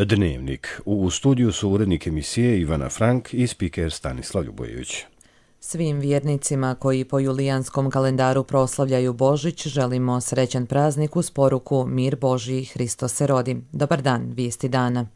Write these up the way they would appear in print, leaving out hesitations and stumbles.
Dnevnik. U studiju su urednik emisije Ivana Frank i spiker Stanislav Ljubojević. Svim vjernicima koji po julijanskom kalendaru proslavljaju Božić želimo srećan praznik uz poruku Mir Božji, Hristos se rodi. Dobar dan, vijesti dana.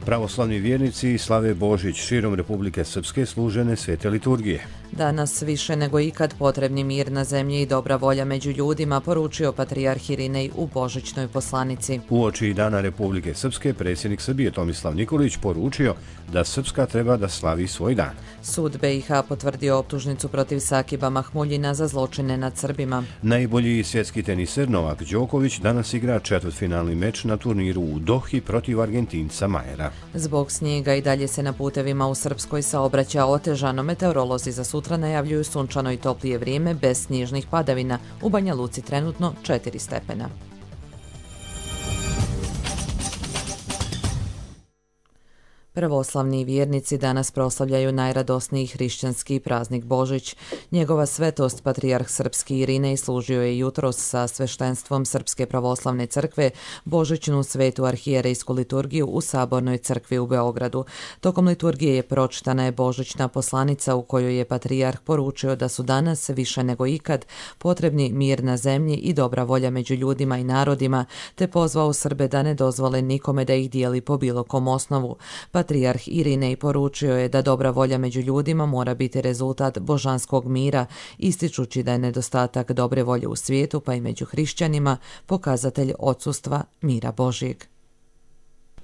Pravoslavni vjernici slave Božić širom Republike Srpske služene svete liturgije. Danas više nego ikad potrebni mir na zemlji i dobra volja među ljudima, poručio patrijarh Irinej u božićnoj poslanici. Uoči Dana Republike Srpske predsjednik Srbije Tomislav Nikolić poručio da Srpska treba da slavi svoj dan. Sud BiH potvrdio optužnicu protiv Sakiba Mahmuljina za zločine nad Srbima. Najbolji svjetski teniser Novak Đoković danas igra četvrtfinalni meč na turniru u Dohi protiv Argentinca Majera. Zbog snijega i dalje se na putevima u Srpskoj saobraća otežano. Meteorolozi za sutra najavljuju sunčano i toplije vrijeme bez snježnih padavina. U Banja Luci trenutno 4 stepena. Pravoslavni vjernici danas proslavljaju najradosniji hrišćanski praznik Božić. Njegova svetost, patrijarh srpski Irinej, služio je jutros sa sveštenstvom Srpske pravoslavne crkve božićnu svetu arhijerejsku liturgiju u Sabornoj crkvi u Beogradu. Tokom liturgije je pročitana je božićna poslanica u kojoj je patrijarh poručio da su danas više nego ikad potrebni mir na zemlji i dobra volja među ljudima i narodima, te pozvao Srbe da ne dozvole nikome da ih dijeli po bilo kom osnovu. Patrijarh Irinej poručio je da dobra volja među ljudima mora biti rezultat božanskog mira, ističući da je nedostatak dobre volje u svijetu, pa i među hrišćanima, pokazatelj odsustva mira Božjeg.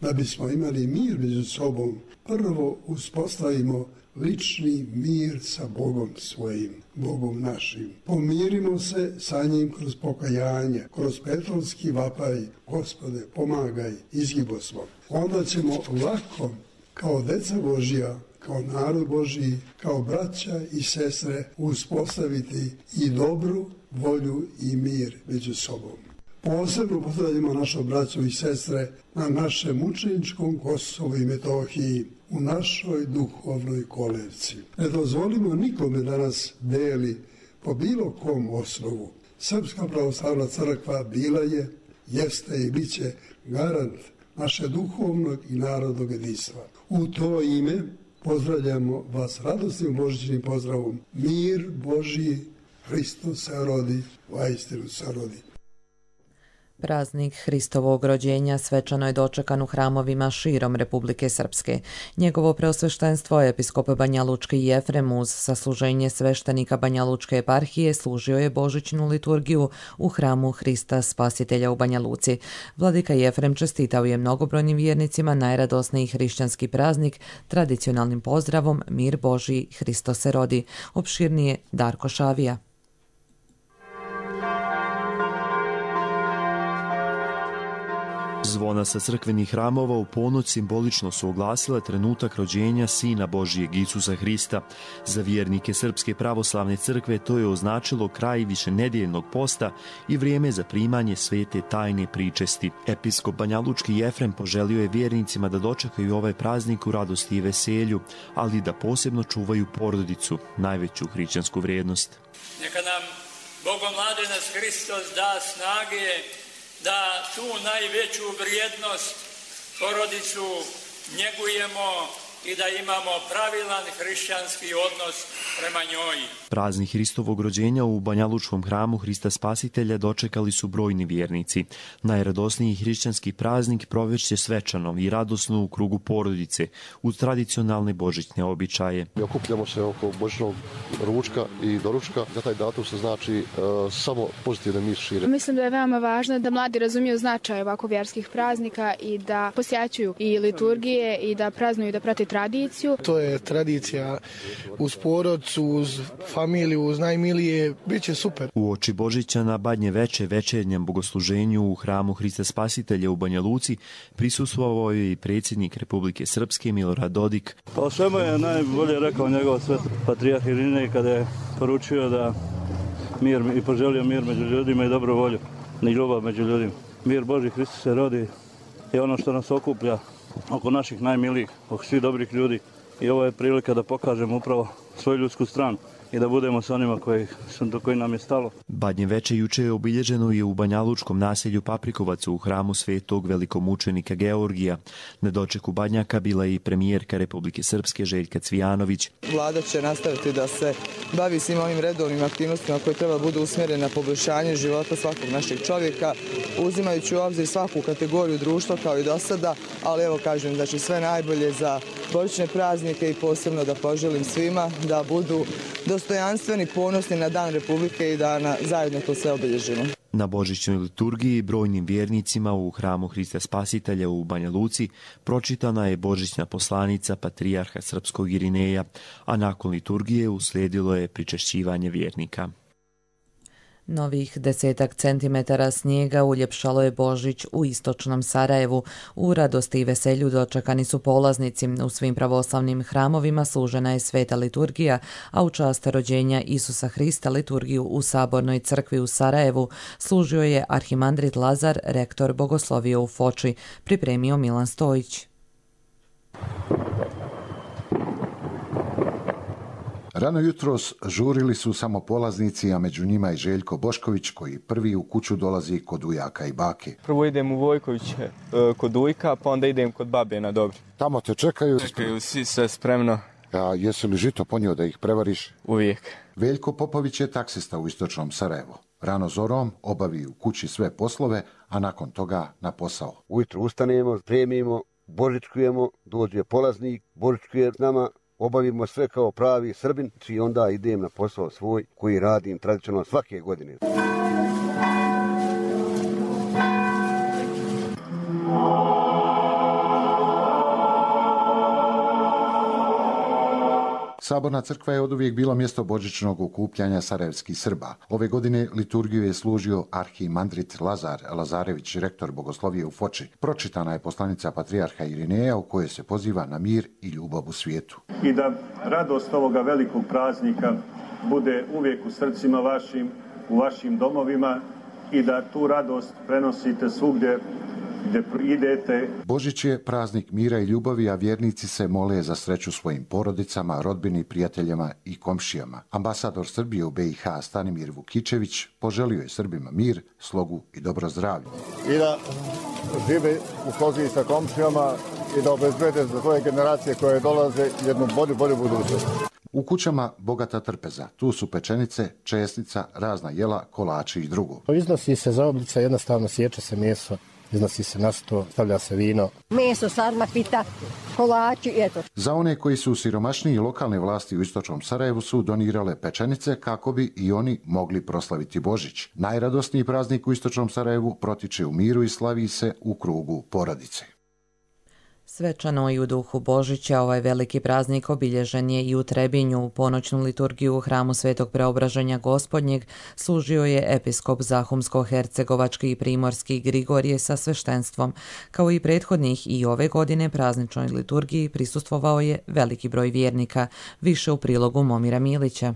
Da bismo imali mir među sobom, prvo uspostavimo lični mir sa Bogom svojim, Bogom našim. Pomirimo se sa njim kroz pokajanje, kroz petrovski vapaj, Gospode, pomagaj, izgibo smo. Onda ćemo lako, kao deca Božja, kao narod Božji, kao braća i sestre, uspostaviti i dobru volju i mir među sobom. Posebno pozdravljamo našu braću i sestre na našem mučeničkom Kosovu i Metohiji, u našoj duhovnoj kolevci. Ne dozvolimo nikome da nas deli po bilo kom osnovu. Srpska pravoslavna crkva bila je, jeste i bit će garant naše duhovnog i narodnog jedinstva. U to ime pozdravljamo vas radosnim božićnim pozdravom. Mir Božji, Hristos se rodi, vaistinu se rodi. Praznik Hristovog rođenja svečano je dočekan u hramovima širom Republike Srpske. Njegovo preosveštenstvo, episkop Banjalučki Jefrem, uz sasluženje sveštenika Banjalučke eparhije, služio je božićnu liturgiju u hramu Hrista Spasitelja u Banja Luci. Vladika Jefrem čestitao je mnogobrojnim vjernicima najradosniji hrišćanski praznik tradicionalnim pozdravom Mir Božji, Hristos se rodi. Opširnije Darko Šavija. Zvona sa crkvenih hramova u ponoć simbolično su oglasile trenutak rođenja Sina Božijeg Isusa Hrista. Za vjernike Srpske pravoslavne crkve to je označilo kraj višenedjeljnog posta i vrijeme za primanje svete tajne pričesti. Episkop Banjalučki Jefrem poželio je vjernicima da dočekaju ovaj praznik u radosti i veselju, ali da posebno čuvaju porodicu, najveću hrišćansku vrijednost. Neka nam Bogomladenac Hristos da snage da tu najveću vrijednost, porodicu, njegujemo i da imamo pravilan hrišćanski odnos prema njoj. Praznik Hristovog rođenja u Banjalučkom hramu Hrista Spasitelja dočekali su brojni vjernici. Najradosniji hrišćanski praznik provešće svečano i radosno u krugu porodice, uz tradicionalne božićne običaje. Mi okupljamo se oko božićnog ručka i doručka. Za taj datum se znači samo pozitivne mir šire. Mislim da je veoma važno da mladi razumiju značaj ovako vjerskih praznika i da posjećuju i liturgije i da praznuju, da prate tradiciju. To je tradicija uz porodicu, uz familiju, uz najmilije, bit će super. U oči Božića na Badnje veče večernjem bogosluženju u hramu Hrista Spasitelja u Banja Luci prisustvovao je i predsjednik Republike Srpske Milorad Dodik. Pa o svemu je najbolje rekao njegov svet patrijarh Irinej kada je poručio da mir i poželio mir među ljudima i dobru volju i ljubav među ljudima. Mir Božji, Hristos se rodi je ono što nas okuplja oko naših najmilijih, oko svih dobrih ljudi. I ovo je prilika da pokažemo upravo svoju ljudsku stranu. i da budemo s onima do koji nam je stalo. Badnje veče juče je obilježeno i u banjalučkom naselju Paprikovac u hramu svetog velikomučenika Georgija. Na dočeku Badnjaka bila je i premijerka Republike Srpske Željka Cvijanović. Vlada će nastaviti da se bavi svim ovim redovnim aktivnostima koje treba budu usmjerene na poboljšanje života svakog našeg čovjeka, uzimajući u obzir svaku kategoriju društva kao i do sada, ali evo kažem, znači sve najbolje za božićne praznike i posebno da poželim svima da budu dostojanstveni, ponosni na Dan Republike i da zajedno to sve obilježimo. Na božićnoj liturgiji brojnim vjernicima u hramu Hrista Spasitelja u Banja Luci pročitana je božićna poslanica patrijarha srpskog Irineja, a nakon liturgije uslijedilo je pričešćivanje vjernika. Novih 10 centimetara snijega uljepšalo je Božić u istočnom Sarajevu. U radosti i veselju dočekani su polaznici. U svim pravoslavnim hramovima služena je sveta liturgija, a u čast rođenja Isusa Hrista liturgiju u Sabornoj crkvi u Sarajevu služio je arhimandrit Lazar, rektor bogoslovije u Foči, pripremio Milan Stojić. Rano jutros žurili su samo polaznici, a među njima i Željko Bošković, koji prvi u kuću dolazi kod ujaka i bake. Prvo idem u Vojkoviće kod ujka, pa onda idem kod babe na Dobri. Tamo te čekaju? Čekaju svi, sve spremno. A jesi li žito ponio da ih prevariš? Uvijek. Veljko Popović je taksista u istočnom Sarajevu. Rano zorom obavi u kući sve poslove, a nakon toga na posao. Ujutro ustanemo, spremimo, božičkujemo, dođe polaznik, božičkuje s nama, obavimo sve kao pravi Srbin i onda idem na posao svoj koji radim tradicionalno svake godine. Saborna crkva je oduvijek bilo mjesto božićnog okupljanja sarajevskih Srba. Ove godine liturgiju je služio arhimandrit Lazar Lazarević, rektor bogoslovije u Foči. Pročitana je poslanica patrijarha Irineja u kojoj se poziva na mir i ljubav u svijetu. I da radost ovoga velikog praznika bude uvijek u srcima vašim, u vašim domovima i da tu radost prenosite svugdje gdje idete. Božić je praznik mira i ljubavi, a vjernici se mole za sreću svojim porodicama, rodbini, prijateljima i komšijama. Ambasador Srbije u BiH Stanimir Vukičević poželio je Srbima mir, slogu i dobro zdravlje. I da žive u slozi sa komšijama i da obezbede za svoje generacije koje dolaze jednu bolju budućnost. U kućama bogata trpeza. Tu su pečenice, česnica, razna jela, kolači i drugo. Iznosi se zaoblica, jednostavno sječe se meso. Iznosi se na sto, stavlja se vino. Meso, sarma, pita, kolači, eto. Za one koji su siromašniji, lokalne vlasti u istočnom Sarajevu su donirale pečenice kako bi i oni mogli proslaviti Božić. Najradosniji praznik u istočnom Sarajevu protiče u miru i slavi se u krugu porodice. Svečano i u duhu Božića ovaj veliki praznik obilježen je i u Trebinju. U ponoćnu liturgiju u hramu Svetog Preobraženja Gospodnjeg služio je episkop Zahumsko-hercegovački i primorski Grigorije sa sveštenstvom. Kao i prethodnih i ove godine prazničnoj liturgiji prisustvovao je veliki broj vjernika. Više u prilogu Momira Milića.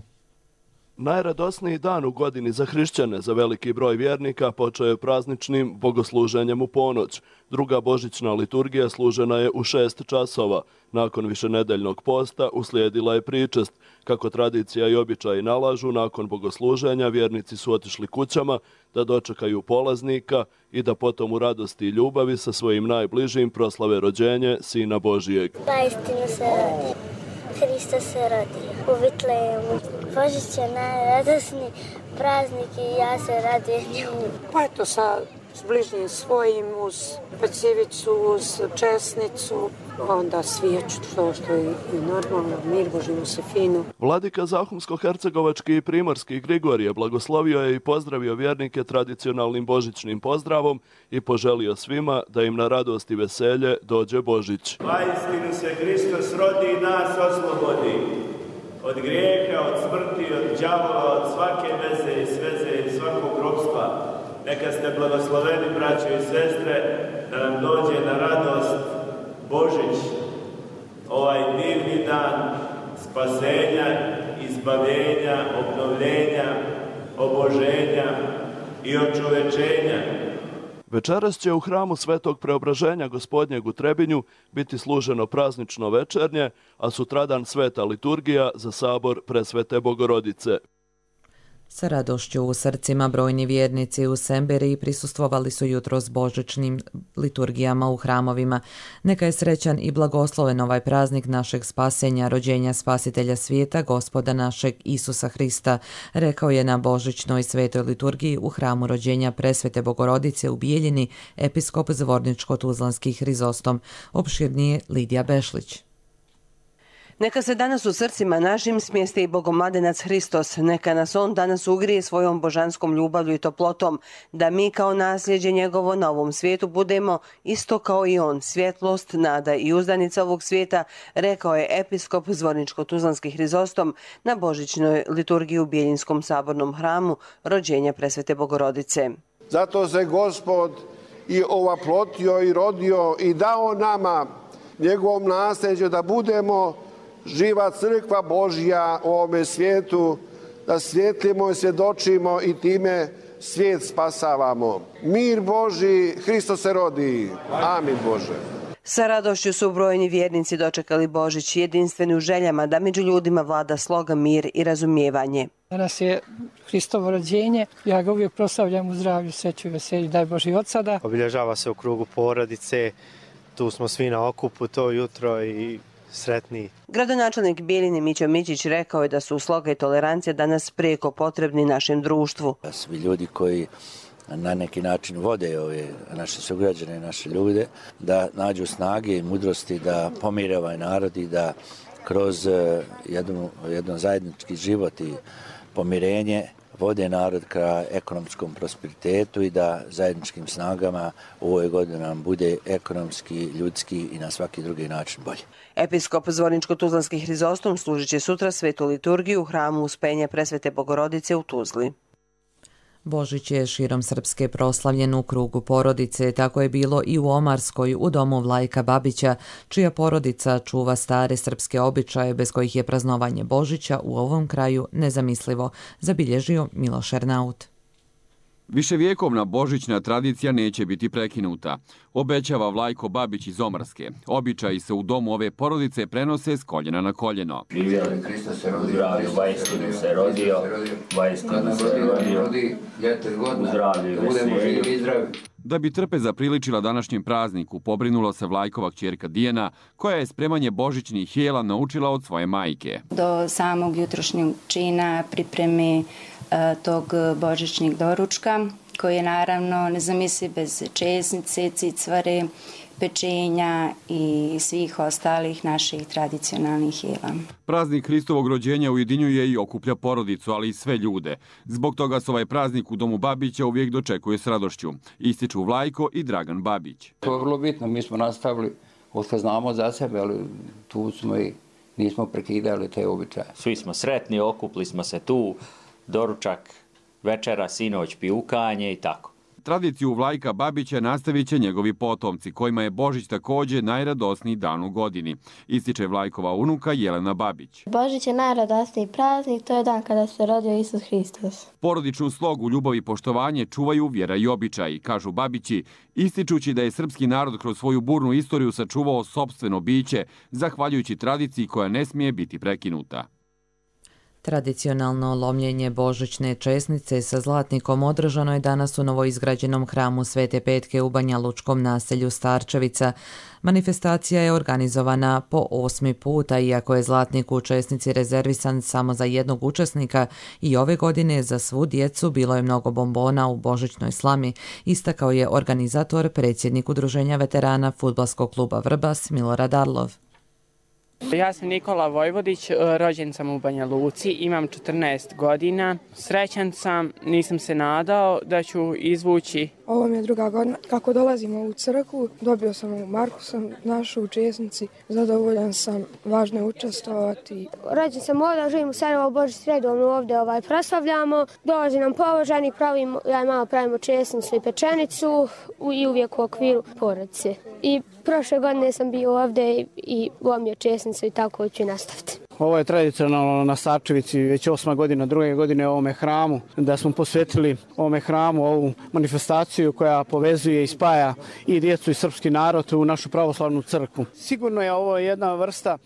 Najradosniji dan u godini za hrišćane, za veliki broj vjernika, počeo je prazničnim bogosluženjem u ponoć. Druga božićna liturgija služena je u 6 časova. Nakon višenedeljnog posta uslijedila je pričest. Kako tradicija i običaji nalažu, nakon bogosluženja vjernici su otišli kućama da dočekaju polaznika i da potom u radosti i ljubavi sa svojim najbližim proslave rođenje Sina Božijeg. Zaistinu se rodi. Hrista se rodi u Vitlejemu. Božić je najradosniji praznik i ja se radujem njemu. Pa eto s bližnjim svojim, uz pecivicu, uz česnicu, onda svijeću, što je i normalno, mir Božinu se finu. Vladika Zahumsko-hercegovački i primorski Grigorije blagoslovio je i pozdravio vjernike tradicionalnim božićnim pozdravom i poželio svima da im na radost i veselje dođe Božić. Zaistinu se Hristos rodi i nas oslobodi od grijeha, od smrti, od đavola, od svake veze i sveze i svakog ropstva. Neka ste blagosloveni, braćo i sestre, da nam dođe na radost Božić, ovaj divni dan spasenja, izbavljenja, obnovljenja, oboženja i očovečenja. Večeras će u hramu Svetog Preobraženja Gospodnjeg u Trebinju biti služeno praznično večernje, a sutradan sveta liturgija za sabor Presvete Bogorodice. Sa radošću u srcima brojni vjernici u Semberiji prisustvovali su jutros božićnim liturgijama u hramovima. Neka je srećan i blagosloven ovaj praznik našeg spasenja, rođenja spasitelja svijeta, Gospoda našeg Isusa Hrista, rekao je na božićnoj svetoj liturgiji u hramu rođenja Presvete Bogorodice u Bijeljini episkop Zvorničko-Tuzlanski Hrizostom. Opširnije Lidija Bešlić. Neka se danas u srcima našim smjesti i Bogomladenac Hristos, neka nas on danas ugrije svojom božanskom ljubavlju i toplotom, da mi kao nasljeđe njegovo na ovom svijetu budemo isto kao i on, svjetlost, nada i uzdanica ovog svijeta, rekao je episkop Zvorničko-Tuzlanski Hrizostom na božićnoj liturgiji u Bijeljinskom sabornom hramu rođenja Presvete Bogorodice. Zato se Gospod i ovaplotio i rodio i dao nama, njegovom nasljeđu, da budemo živa crkva Božja u ovome svijetu, da svjetlimo i svjedočimo i time svijet spasavamo. Mir Božji, Hristos se rodi. Amin Bože. Sa radošću su brojni vjernici dočekali Božić, jedinstveni u željama da među ljudima vlada sloga, mir i razumijevanje. Danas je Hristovo rođenje, ja ga uvijek proslavljam u zdravlju, sreću i veselju, daj Boži od sada. Obilježava se u krugu porodice, tu smo svi na okupu to jutro i sretni. Gradonačelnik Bijeljine Mićo Mićić rekao je da su sloga i tolerancija danas prijeko potrebni našem društvu. Svi ljudi koji na neki način vode ove naše sugrađane, naše ljude, da nađu snage i mudrosti da pomire ovaj narod i da kroz jedan zajednički život i pomirenje vode narod ka ekonomskom prosperitetu i da zajedničkim snagama u ovoj godini nam bude ekonomski, ljudski i na svaki drugi način bolje. Episkop Zvorničko-Tuzlanski Hrizostom služit će sutra svetu liturgiju u hramu Uspenja Presvete Bogorodice u Tuzli. Božić je širom Srpske proslavljen u krugu porodice, tako je bilo i u Omarskoj, u domu Vlajka Babića, čija porodica čuva stare srpske običaje bez kojih je praznovanje Božića u ovom kraju nezamislivo, zabilježio Miloš Ernaut. Viševjekovna božićna tradicija neće biti prekinuta, obećava Vlajko Babić iz Omarske. Običaji se u domu ove porodice prenose s koljena na koljeno. Živjeli, Hristos se rodio, vajstinu se rodio, vajstinu se rodi, ljeto godina, da budemo živi i zdravi. Da bi trpeza priličila današnjem prazniku, pobrinula se Vlajkova kćerka Dijana, koja je spremanje božićnih jela naučila od svoje majke. Do samog jutrošnjeg čina pripremi tog božićnog doručka, koji je naravno nezamisliv bez česnice, cicvare, pečenja i svih ostalih naših tradicionalnih jela. Praznik Hristovog rođenja ujedinjuje i okuplja porodicu, ali i sve ljude. Zbog toga se ovaj praznik u domu Babića uvijek dočekuje s radošću. Ističu Vlajko i Dragan Babić. To je vrlo bitno, mi smo nastavili, ošto znamo za sebe, ali tu smo i nismo prekidali te običaje. Svi smo sretni, okupli smo se tu, doručak, večera, sinoć, pijukanje i tako. Tradiciju Vlajka Babića nastavit će njegovi potomci, kojima je Božić također najradosniji dan u godini, ističe Vlajkova unuka Jelena Babić. Božić je najradosniji praznik, to je dan kada se rodio Isus Hristos. Porodičnu slogu, ljubav i poštovanje čuvaju vjera i običaji, kažu Babići, ističući da je srpski narod kroz svoju burnu istoriju sačuvao sopstveno biće, zahvaljujući tradiciji koja ne smije biti prekinuta. Tradicionalno lomljenje božićne česnice sa zlatnikom održano je danas u novoizgrađenom hramu Svete Petke u Banja Lučkom naselju Starčevica. Manifestacija je organizovana po 8. puta, iako je zlatnik u česnici rezervisan samo za jednog učesnika i ove godine za svu djecu bilo je mnogo bombona u božićnoj slami, istakao je organizator, predsjednik Udruženja veterana Fudbalskog kluba Vrbas Milorad Arlov. Ja sam Nikola Vojvodić, rođen sam u Banja Luci, imam 14 godina. Srećan sam, nisam se nadao da ću izvući. Ovo mi je druga godina. Kako dolazimo u crkvu, dobio sam ovu marku, sam našao u česnici, zadovoljan sam, važno je učestvovati. Rođen sam ovdje, živim u Sarajevo, Božić redovno ovdje proslavljamo. Dolazi nam pobožani, ja i mama pravimo česnicu i pečenicu i uvijek u okviru porodice. I prošle godine sam bio ovdje i lomio česnicu i tako ću nastaviti. Ovo je tradicionalno na Starčevici već 8. godina, 2. godine ovome hramu, da smo posvetili ovome hramu ovu manifestaciju koja povezuje i spaja i djecu i srpski narod u našu pravoslavnu crkvu. Sigurno je ovo jedna vrsta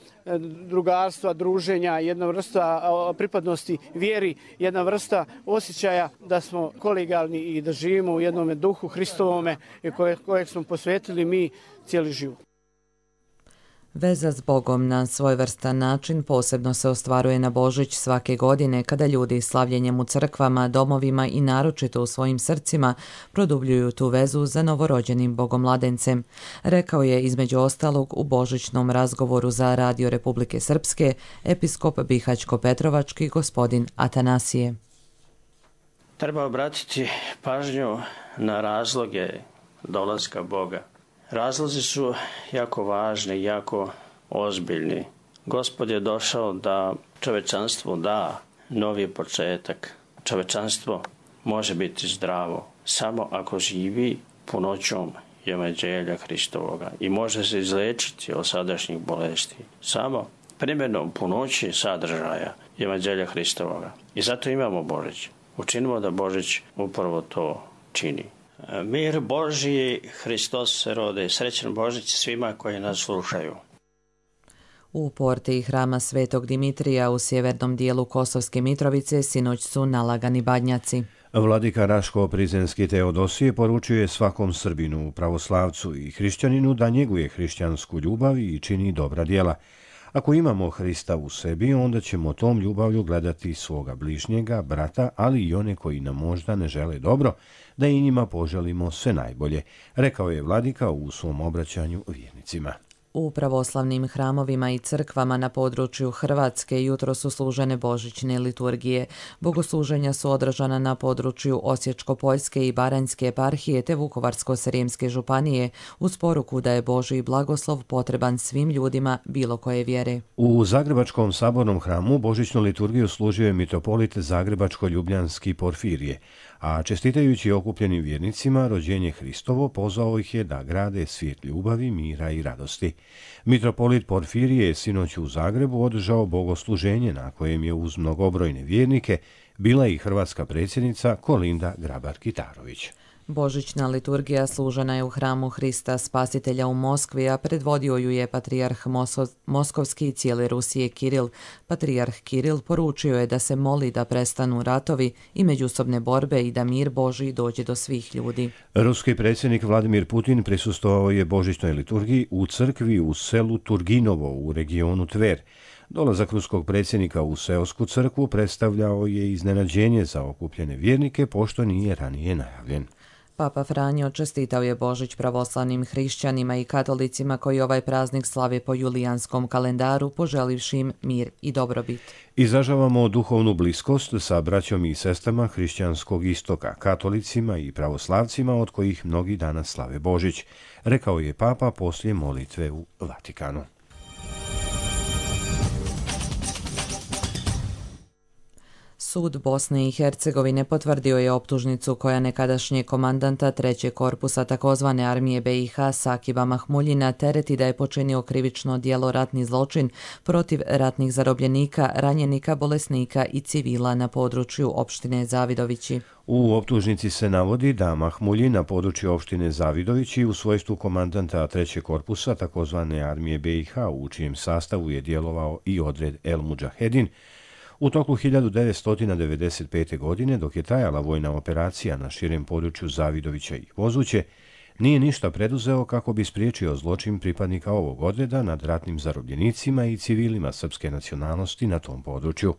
drugarstva, druženja, jedna vrsta pripadnosti vjeri, jedna vrsta osjećaja da smo kolegijalni i da živimo u jednom duhu Hristovome kojeg smo posvetili mi cijeli život. Veza s Bogom na svojevrstan način posebno se ostvaruje na Božić svake godine kada ljudi slavljenjem u crkvama, domovima i naročito u svojim srcima produbljuju tu vezu za novorođenim bogomladencem, rekao je između ostalog u božićnom razgovoru za Radio Republike Srpske episkop Bihaćko-Petrovački gospodin Atanasije. Treba obratiti pažnju na razloge dolaska Boga. Razlozi su jako važni, jako ozbiljni. Gospod je došao da čovečanstvu da novi početak. Čovečanstvo može biti zdravo samo ako živi punoćom evanđelja Hristovoga i može se izlečiti od sadašnjih bolesti samo primjenom punoći sadržaja evanđelja Hristovoga. I zato imamo Božić. Učinimo da Božić upravo to čini. Mir Božji, Hristos se rode. Srećan Božić svima koji nas slušaju. U porti hrama Svetog Dimitrija u sjevernom dijelu Kosovske Mitrovice sinoć su nalagani badnjaci. Vladika Raško-Prizrenski Teodosije poručuje svakom Srbinu, pravoslavcu i hrišćaninu da njeguje hrišćansku ljubav i čini dobra djela. Ako imamo Hrista u sebi, onda ćemo tom ljubavlju gledati svoga bližnjega, brata, ali i one koji nam možda ne žele dobro, da i njima poželimo sve najbolje, rekao je vladika u svom obraćanju vjernicima. U pravoslavnim hramovima i crkvama na području Hrvatske jutro su služene božićne liturgije. Bogosluženja su održana na području Osječko-Poljske i Baranjske eparhije te Vukovarsko-Srijemske županije uz poruku da je Božji blagoslov potreban svim ljudima bilo koje vjere. U Zagrebačkom sabornom hramu božićnu liturgiju služio je mitropolit Zagrebačko-Ljubljanski Porfirije, a čestitajući okupljenim vjernicima rođenje Hristovo pozvao ih je da grade svijet ljubavi, mira i radosti. Mitropolit Porfirije je sinoć u Zagrebu održao bogosluženje na kojem je uz mnogobrojne vjernike bila i hrvatska predsjednica Kolinda Grabar-Kitarović. Božićna liturgija služena je u hramu Hrista Spasitelja u Moskvi, a predvodio ju je patrijarh Moskovski i cijele Rusije Kiril. Patrijarh Kiril poručio je da se moli da prestanu ratovi i međusobne borbe i da mir Božji dođe do svih ljudi. Ruski predsjednik Vladimir Putin prisustvovao je božićnoj liturgiji u crkvi u selu Turginovo u regionu Tver. Dolazak ruskog predsjednika u seosku crkvu predstavljao je iznenađenje za okupljene vjernike, pošto nije ranije najavljen. Papa Franjo čestitao je Božić pravoslavnim hrišćanima i katolicima koji ovaj praznik slave po julijanskom kalendaru, poželivši im mir i dobrobit. Izražavamo duhovnu bliskost sa braćom i sestrama hrišćanskog istoka, katolicima i pravoslavcima od kojih mnogi danas slave Božić, rekao je Papa poslije molitve u Vatikanu. Sud Bosne i Hercegovine potvrdio je optužnicu koja nekadašnje komandanta 3. korpusa takozvane armije BiH Sakiba Mahmuljina tereti da je počinio krivično djelo ratni zločin protiv ratnih zarobljenika, ranjenika, bolesnika i civila na području opštine Zavidovići. U optužnici se navodi da Mahmuljin na području opštine Zavidovići u svojstvu komandanta 3. korpusa takozvane armije BiH, u čijem sastavu je djelovao i odred El Mudžahedin, u toku 1995. godine, dok je trajala vojna operacija na širem području Zavidovića i Vozuće, nije ništa preduzeo kako bi spriječio zločin pripadnika ovog odreda nad ratnim zarobljenicima i civilima srpske nacionalnosti na tom području.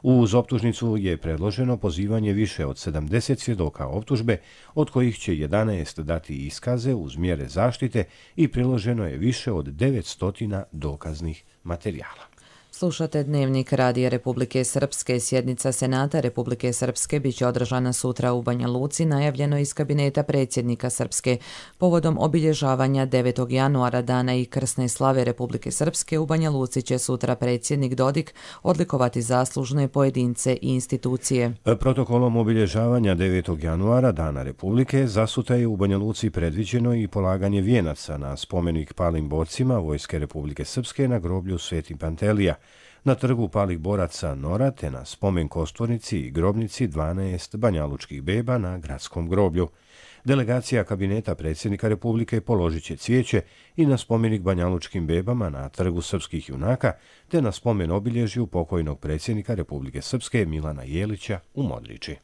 Uz optužnicu je predloženo pozivanje više od 70 svjedoka optužbe, od kojih će 11 dati iskaze uz mjere zaštite i priloženo je više od 900 dokaznih materijala. Slušate Dnevnik Radija Republike Srpske. Sjednica Senata Republike Srpske biće održana sutra u Banja Luci, najavljeno iz kabineta predsjednika Srpske. Povodom obilježavanja 9. januara dana i krsne slave Republike Srpske u Banja Luci će sutra predsjednik Dodik odlikovati zaslužne pojedince i institucije. Protokolom obilježavanja 9. januara dana Republike zasutra je u Banja Luci predviđeno i polaganje vijenaca na spomenik palim borcima Vojske Republike Srpske na groblju Sveti Pantelija. na trgu palih boraca Nora te na spomen kosturnici i grobnici 12 banjalučkih beba na gradskom groblju. Delegacija kabineta predsjednika Republike položit će cvijeće i na spomenik banjalučkim bebama na trgu srpskih junaka te na spomen obilježju pokojnog predsjednika Republike Srpske Milana Jelića u Modriči.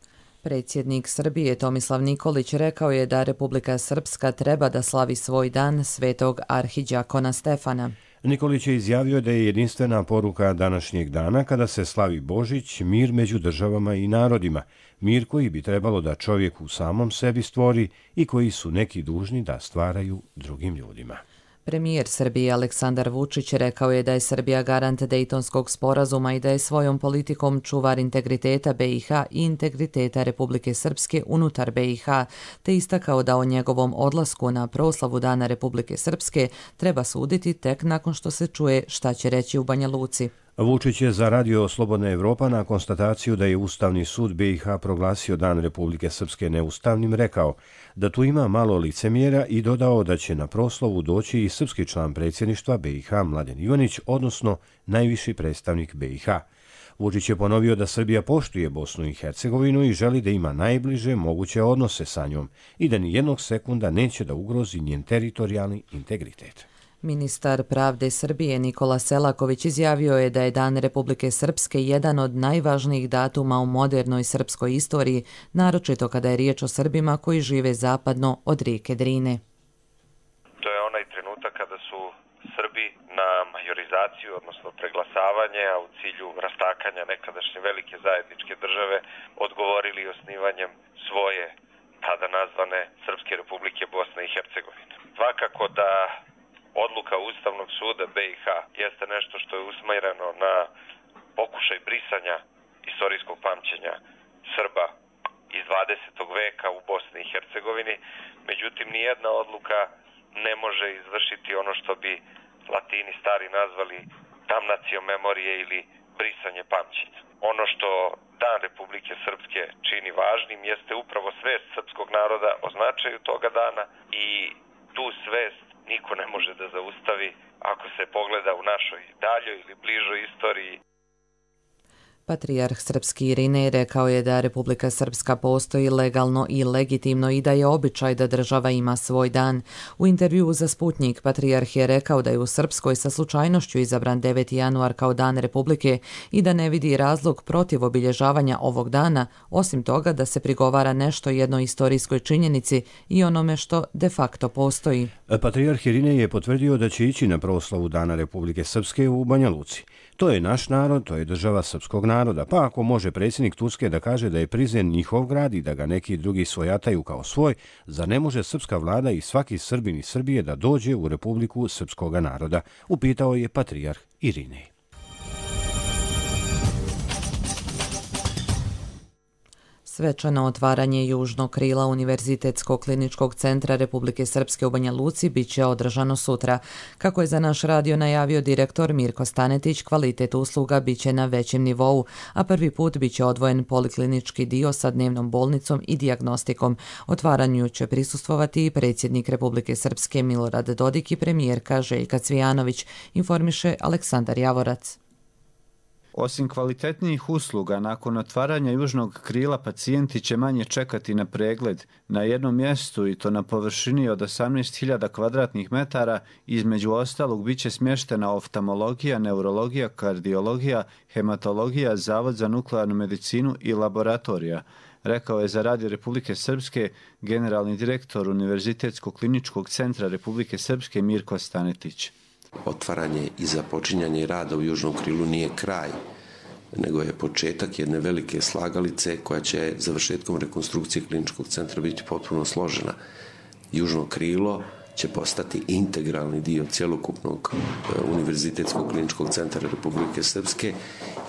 Predsjednik Srbije Tomislav Nikolić rekao je da Republika Srpska treba da slavi svoj dan svetog arhiđakona Stefana. Nikolić je izjavio da je jedinstvena poruka današnjeg dana kada se slavi Božić mir među državama i narodima, mir koji bi trebalo da čovjek u samom sebi stvori i koji su neki dužni da stvaraju drugim ljudima. Premijer Srbije Aleksandar Vučić rekao je da je Srbija garant Dejtonskog sporazuma i da je svojom politikom čuvar integriteta BiH i integriteta Republike Srpske unutar BiH, te istakao da o njegovom odlasku na proslavu Dana Republike Srpske treba suditi tek nakon što se čuje šta će reći u Banja Luci. Vučić je za Radio Slobodna Evropa na konstataciju da je Ustavni sud BiH proglasio Dan Republike Srpske neustavnim rekao da tu ima malo licemjera i dodao da će na proslavu doći i srpski član predsjedništva BiH Mladen Ivanić, odnosno najviši predstavnik BiH. Vučić je ponovio da Srbija poštuje Bosnu i Hercegovinu i želi da ima najbliže moguće odnose sa njom i da ni jednog sekunda neće da ugrozi njen teritorijalni integritet. Ministar pravde Srbije Nikola Selaković izjavio je da je Dan Republike Srpske jedan od najvažnijih datuma u modernoj srpskoj istoriji, naročito kada je riječ o Srbima koji žive zapadno od rijeke Drine. To je onaj trenutak kada su Srbi na majorizaciju, odnosno preglasavanje, a u cilju rastakanja nekadašnje velike zajedničke države, odgovorili osnivanjem svoje, tada nazvane Srpske Republike Bosne i Hercegovine. Svakako da odluka Ustavnog suda BiH jeste nešto što je usmjereno na pokušaj brisanja istorijskog pamćenja Srba iz 20. veka u Bosni i Hercegovini. Međutim, nijedna odluka ne može izvršiti ono što bi Latini stari nazvali damnatio memorije ili brisanje pamćenja. Ono što Dan Republike Srpske čini važnim jeste upravo svest srpskog naroda o značaju toga dana i tu svest niko ne može da zaustavi ako se pogleda u našoj daljoj ili bližoj istoriji. Patrijarh Srpski Irinej rekao je da Republika Srpska postoji legalno i legitimno i da je običaj da država ima svoj dan. U intervjuu za Sputnik Patrijarh je rekao da je u Srpskoj sa slučajnošću izabran 9. januar kao Dan Republike i da ne vidi razlog protiv obilježavanja ovog dana, osim toga da se prigovara nešto jednoj istorijskoj činjenici i onome što de facto postoji. Patrijarh Irinej je potvrdio da će ići na proslavu Dana Republike Srpske u Banja Luci. To je naš narod, to je država srpskog naroda, pa ako može predsjednik Turske da kaže da je Prizren njihov grad i da ga neki drugi svojataju kao svoj, zar ne može srpska vlada i svaki Srbin iz Srbije da dođe u Republiku srpskoga naroda, upitao je patrijarh Irinej. Svečano otvaranje južnog krila Univerzitetskog kliničkog centra Republike Srpske u Banja Luci bit će održano sutra. Kako je za naš radio najavio direktor Mirko Stanetić, kvalitet usluga bit će na većem nivou, a prvi put bit će odvojen poliklinički dio sa dnevnom bolnicom i dijagnostikom. Otvaranju će prisustvovati i predsjednik Republike Srpske Milorad Dodik i premijerka Željka Cvijanović, informiše Aleksandar Javorac. Osim kvalitetnijih usluga, nakon otvaranja južnog krila pacijenti će manje čekati na pregled na jednom mjestu i to na površini od 18.000 kvadratnih metara. Između ostalog bit će smještena oftalmologija, neurologija, kardiologija, hematologija, Zavod za nuklearnu medicinu i laboratorija, rekao je za Radio Republike Srpske generalni direktor Univerzitetskog kliničkog centra Republike Srpske Mirko Stanetić. Otvaranje i započinjanje rada u južnom krilu nije kraj, nego je početak jedne velike slagalice koja će završetkom rekonstrukcije kliničkog centra biti potpuno složena. Južno krilo će postati integralni dio cjelokupnog Univerzitetskog kliničkog centra Republike Srpske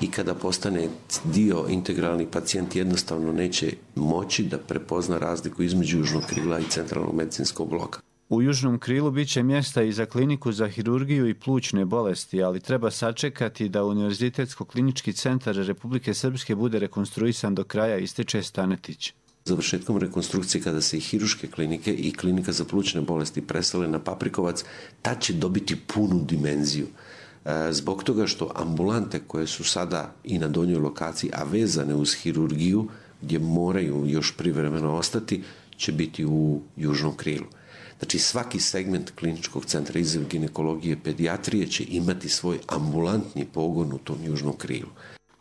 i kada postane dio integralni, pacijent jednostavno neće moći da prepozna razliku između južnog krila i centralnog medicinskog bloka. U južnom krilu bit će mjesta i za kliniku za hirurgiju i plućne bolesti, ali treba sačekati da Univerzitetsko-klinički centar Republike Srpske bude rekonstruisan do kraja, ističe Stanetić. Završetkom rekonstrukcije, kada se i hiruške klinike i klinika za plućne bolesti presele na Paprikovac, tad će dobiti punu dimenziju. zbog toga što ambulante koje su sada i na donjoj lokaciji, a vezane uz hirurgiju, gdje moraju još privremeno ostati, će biti u južnom krilu. Znači svaki segment kliničkog centra izvan ginekologije, pedijatrije će imati svoj ambulantni pogon u tom južnom krilu.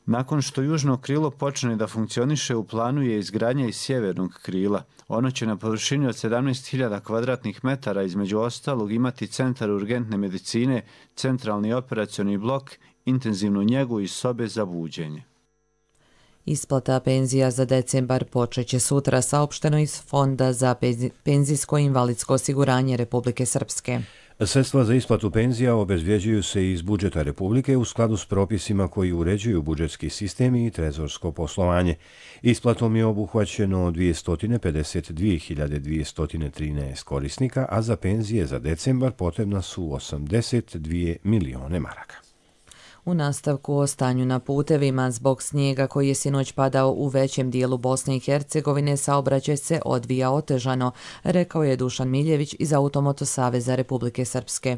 Nakon što južno krilo počne da funkcioniše, u planu je izgradnja i sjevernog krila. Ono će na površini od 17.000 kvadratnih metara između ostalog imati centar urgentne medicine, centralni operacioni blok, intenzivnu njegu i sobe za buđenje. Isplata penzija za decembar počeće sutra, saopšteno iz Fonda za penzijsko i invalidsko osiguranje Republike Srpske. Sredstva za isplatu penzija obezvjeđuju se iz budžeta Republike u skladu s propisima koji uređuju budžetski sistem i trezorsko poslovanje. Isplatom je obuhvaćeno 252.213 korisnika, a za penzije za decembar potrebna su 82 milione maraka. U nastavku o stanju na putevima, zbog snijega koji je sinoć padao u većem dijelu Bosne i Hercegovine, saobraćaj se odvija otežano, rekao je Dušan Miljević iz Automoto saveza Republike Srpske.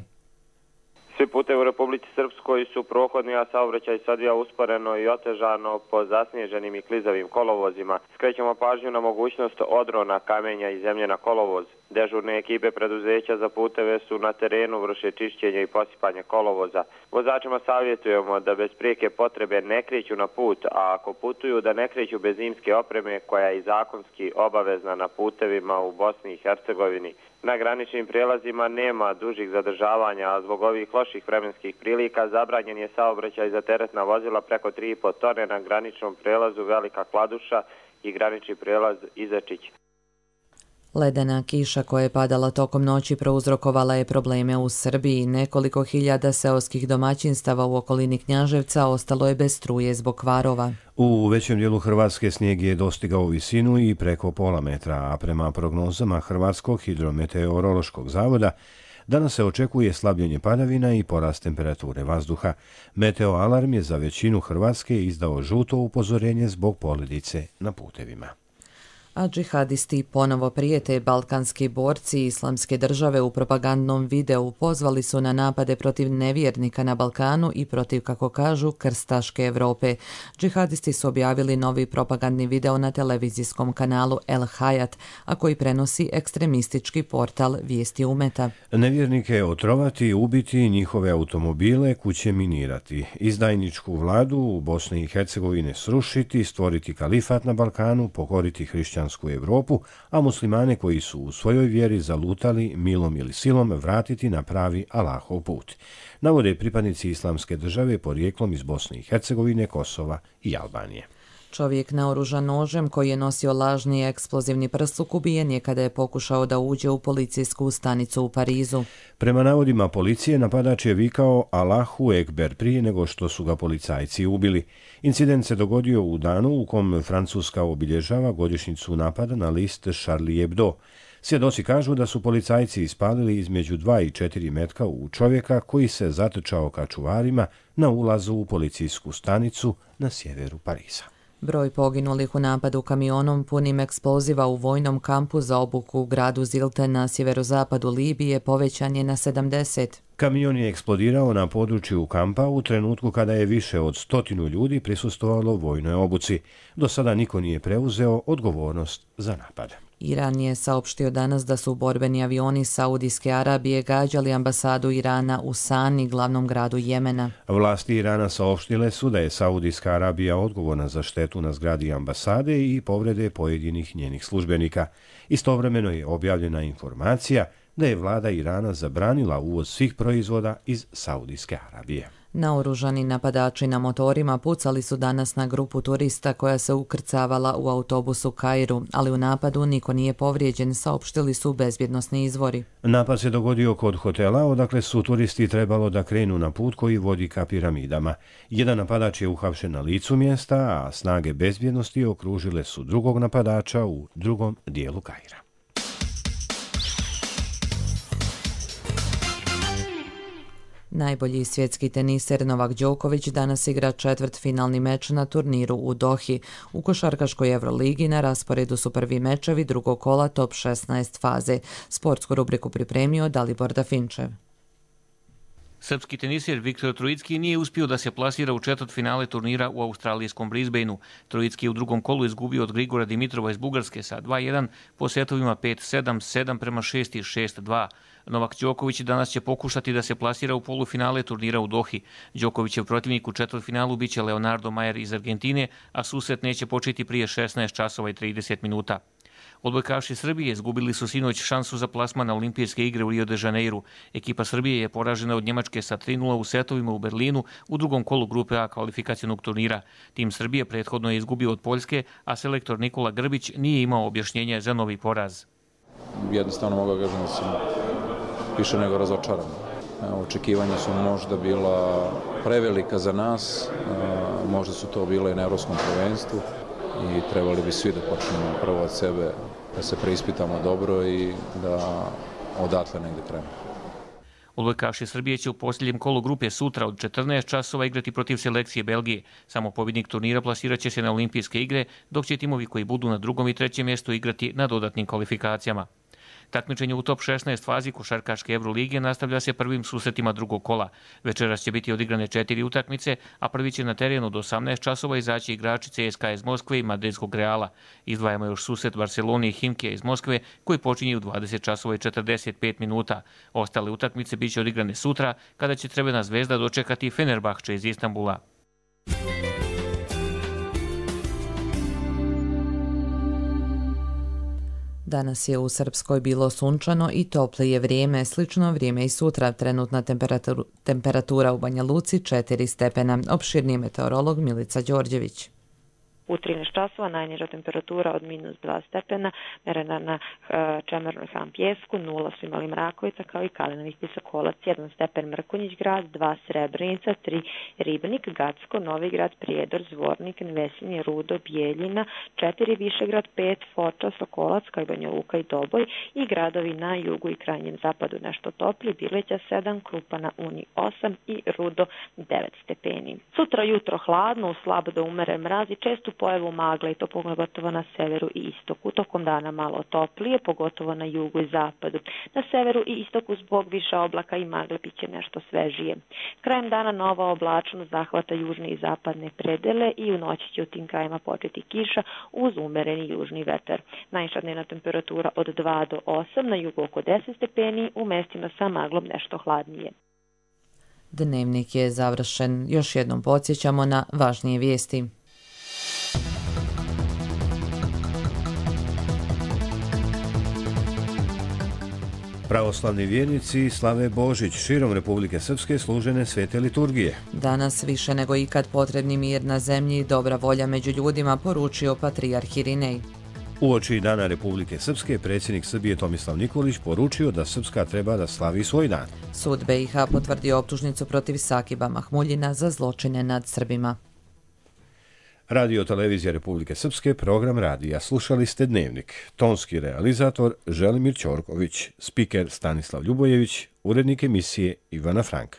Svi putevi u Republici Srpskoj su prohodni, a saobraćaj se odvija usporeno i otežano po zasnježenim i klizavim kolovozima. Skrećemo pažnju na mogućnost odrona kamenja i zemlje na kolovoz. Dežurne ekipe preduzeća za puteve su na terenu, vrše čišćenje i posipanje kolovoza. Vozačima savjetujemo da bez prijeke potrebe ne kreću na put, a ako putuju da ne kreću bez zimske opreme koja je i zakonski obavezna na putevima u Bosni i Hercegovini. Na graničnim prijelazima nema dužih zadržavanja, a zbog ovih loših vremenskih prilika zabranjen je saobraćaj za teretna vozila preko 3,5 tone na graničnom prijelazu Velika Kladuša i granični prijelaz Izačić. Ledena kiša koja je padala tokom noći prouzrokovala je probleme u Srbiji. Nekoliko hiljada seoskih domaćinstava u okolini Knjaževca ostalo je bez struje zbog kvarova. U većem dijelu Hrvatske snijeg je dostigao visinu i preko pola metra, a prema prognozama Hrvatskog hidrometeorološkog zavoda danas se očekuje slabljenje padavina i porast temperature vazduha. Meteo alarm je za većinu Hrvatske izdao žuto upozorenje zbog poledice na putevima. A džihadisti ponovo prijete. Balkanski borci Islamske države u propagandnom videu pozvali su na napade protiv nevjernika na Balkanu i protiv, kako kažu, krstaške Evrope. Džihadisti su objavili novi propagandni video na televizijskom kanalu El Hayat, a koji prenosi ekstremistički portal Vijesti Umeta. Nevjernike otrovati, ubiti, njihove automobile, kuće minirati, izdajničku vladu u Bosni i Hercegovine srušiti, stvoriti kalifat na Balkanu, pokoriti hrišćansku Evropu, a muslimane koji su u svojoj vjeri zalutali milom ili silom vratiti na pravi Allahov put. Navode pripadnici Islamske države porijeklom iz Bosne i Hercegovine, Kosova i Albanije. Čovjek naoružan nožem koji je nosio lažni eksplozivni prsluk ubijen je kada je pokušao da uđe u policijsku stanicu u Parizu. Prema navodima policije, napadač je vikao Allahu Ekber prije nego što su ga policajci ubili. Incident se dogodio u danu u kom Francuska obilježava godišnjicu napada na list Charlie Hebdo. Svjedoci kažu da su policajci ispalili između 2 i 4 metka u čovjeka koji se zatrčao ka čuvarima na ulazu u policijsku stanicu na sjeveru Pariza. Broj poginulih u napadu kamionom punim eksploziva u vojnom kampu za obuku u gradu Zilte na sjeverozapadu Libije povećan je na 70. Kamion je eksplodirao na području kampa u trenutku kada je više od 100 ljudi prisustvovalo vojnoj obuci. Do sada niko nije preuzeo odgovornost za napad. Iran je saopštio danas da su borbeni avioni Saudijske Arabije gađali ambasadu Irana u Sani, glavnom gradu Jemena. Vlasti Irana saopštile su da je Saudijska Arabija odgovorna za štetu na zgradi ambasade i povrede pojedinih njenih službenika. Istovremeno je objavljena informacija da je vlada Irana zabranila uvoz svih proizvoda iz Saudijske Arabije. Naoružani napadači na motorima pucali su danas na grupu turista koja se ukrcavala u autobusu Kairu, ali u napadu niko nije povrijeđen, saopštili su bezbjednosni izvori. Napad se dogodio kod hotela, odakle su turisti trebalo da krenu na put koji vodi ka piramidama. Jedan napadač je uhapšen na licu mjesta, a snage bezbjednosti okružile su drugog napadača u drugom dijelu Kaira. Najbolji svjetski teniser Novak Đoković danas igra četvrtfinalni meč na turniru u Dohi. U košarkaškoj Euroligi na rasporedu su prvi mečevi drugog kola top 16 faze. Sportsku rubriku pripremio Dalibor Dafinčev. Srpski tenisir Viktor Trojicki nije uspio da se plasira u četvrtfinale turnira u australijskom Brisbaneu. Trojicki je u drugom kolu izgubio od Grigora Dimitrova iz Bugarske sa 2-1 po setovima 5-7, 7-6 i 6-2. Novak Đoković danas će pokušati da se plasira u polufinale turnira u Dohi. Đokovićev protivnik u četvrtfinalu biće Leonardo Mayer iz Argentine, a susret neće početi prije 16 časova i 30 minuta. Odbojkaši Srbije izgubili su sinoć šansu za plasman na olimpijske igre u Rio de Janeiru. Ekipa Srbije je poražena od Njemačke sa 3-0 u setovima u Berlinu u drugom kolu grupe A kvalifikacionog turnira. Tim Srbije prethodno je izgubio od Poljske, a selektor Nikola Grbić nije imao objašnjenje za novi poraz. Jednostavno mogu da kažem da sam više nego razočaran. Očekivanja su možda bila prevelika za nas, možda su to bile i na evropskom prvenstvu i trebali bi svi da počnemo prvo od sebe, da se preispitamo dobro i da odatle negde krenemo. Odbojkaši Srbije će u posljednjem kolu grupe sutra od 14 časova igrati protiv selekcije Belgije. Samo pobjednik turnira plasirat će se na olimpijske igre, dok će timovi koji budu na drugom i trećem mjestu igrati na dodatnim kvalifikacijama. Takmičenje u top 16 fazi košarkaške Evrolige nastavlja se prvim susretima drugog kola. Večeras će biti odigrane 4 utakmice, a prvi će na terenu od 18 časova izaći igrači CSKA iz Moskve i Madridskog Reala. Izdvajamo još susret Barcelone i Himkija iz Moskve, koji počinje u 20 časova i 45 minuta. Ostale utakmice biće odigrane sutra, kada će Crvena zvezda dočekati Fenerbahče iz Istanbula. Danas je u Srpskoj bilo sunčano i toplije vrijeme, slično vrijeme i sutra. Trenutna temperatura u Banja Luci 4 stepena. Opširniji meteorolog Milica Đorđević. U 13 časova najniža temperatura od -2 stepena, merena na Čemernoj Ham Pjesku, 0 su imali Mrakovica kao i Kalinovih Visokolac, 1 stepen Mrkonjić grad, 2 Srebrenica, 3 Ribnik, Gacko, Novi grad, Prijedor, Zvornik, Vesinje, Rudo, Bijeljina, 4 Višegrad, 5 Foča, Sokolac, kao i Banja Luka i Doboj i gradovi na jugu i krajnjem zapadu nešto topli, Bileća 7, Krupa na Uni 8 i Rudo 9 stepeni. Sutra jutro hladno, u slabo do umeren mraz i često pojavu magle i to pogotovo na severu i istoku. Tokom dana malo toplije, pogotovo na jugu i zapadu. Na severu i istoku zbog više oblaka i magle biće nešto svežije. Krajem dana nova oblačnost zahvata južne i zapadne predele i u noći će u tim krajima početi kiša uz umereni južni vetar. Najviša dnevna temperatura od 2 do 8, na jugu oko 10 stepeni, u mestima sa maglom nešto hladnije. Dnevnik je završen. Još jednom podsjećamo na važnije vijesti. Pravoslavni vjernici slave Božić. Širom Republike Srpske služene svete liturgije. Danas više nego ikad potrebni mir na zemlji i dobra volja među ljudima, poručio patrijarh Irinej. Uoči Dana Republike Srpske, predsjednik Srbije Tomislav Nikolić poručio da Srpska treba da slavi svoj dan. Sud BiH potvrdio optužnicu protiv Sakiba Mahmuljina za zločine nad Srbima. Radio Televizija Republike Srpske, program radija. Slušali ste Dnevnik. Tonski realizator Želimir Ćorković, spiker Stanislav Ljubojević, urednik emisije Ivana Frank.